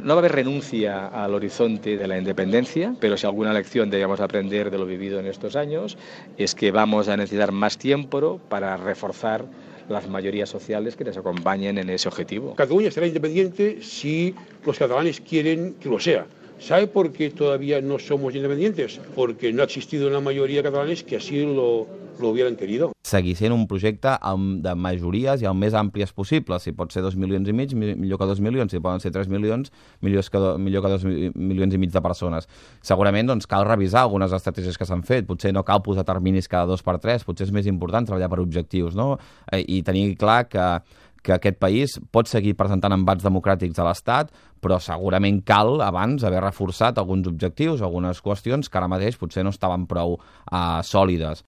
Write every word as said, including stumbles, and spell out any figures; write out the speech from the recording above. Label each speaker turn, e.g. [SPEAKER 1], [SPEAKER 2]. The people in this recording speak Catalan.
[SPEAKER 1] No va a haber renuncia al horizonte de la independencia, pero si alguna lección debemos aprender de lo vivido en estos años es que vamos a necesitar más tiempo para reforzar las mayorías sociales que nos acompañen en ese objetivo.
[SPEAKER 2] Cataluña será independiente si los catalanes quieren que lo sea. ¿Sabe por qué todavía no somos independientes? Porque no ha existido una mayoría de catalanes que así lo, lo hubieran querido.
[SPEAKER 3] Seguir sent un projecte amb, de majories i el més àmplies possible. Si pot ser dos milions i mig, millor que dos milions. Si poden ser tres milions, millor que, do, millor que dos milions i mig de persones. Segurament doncs, cal revisar algunes estratègies que s'han fet. Potser no cal posar terminis cada dos per tres. Potser és més important treballar per objectius, no? I tenir clar que que aquest país pot seguir presentant embats democràtics a l'Estat, però segurament cal abans haver reforçat alguns objectius, algunes qüestions que ara mateix potser no estaven prou uh, sòlides.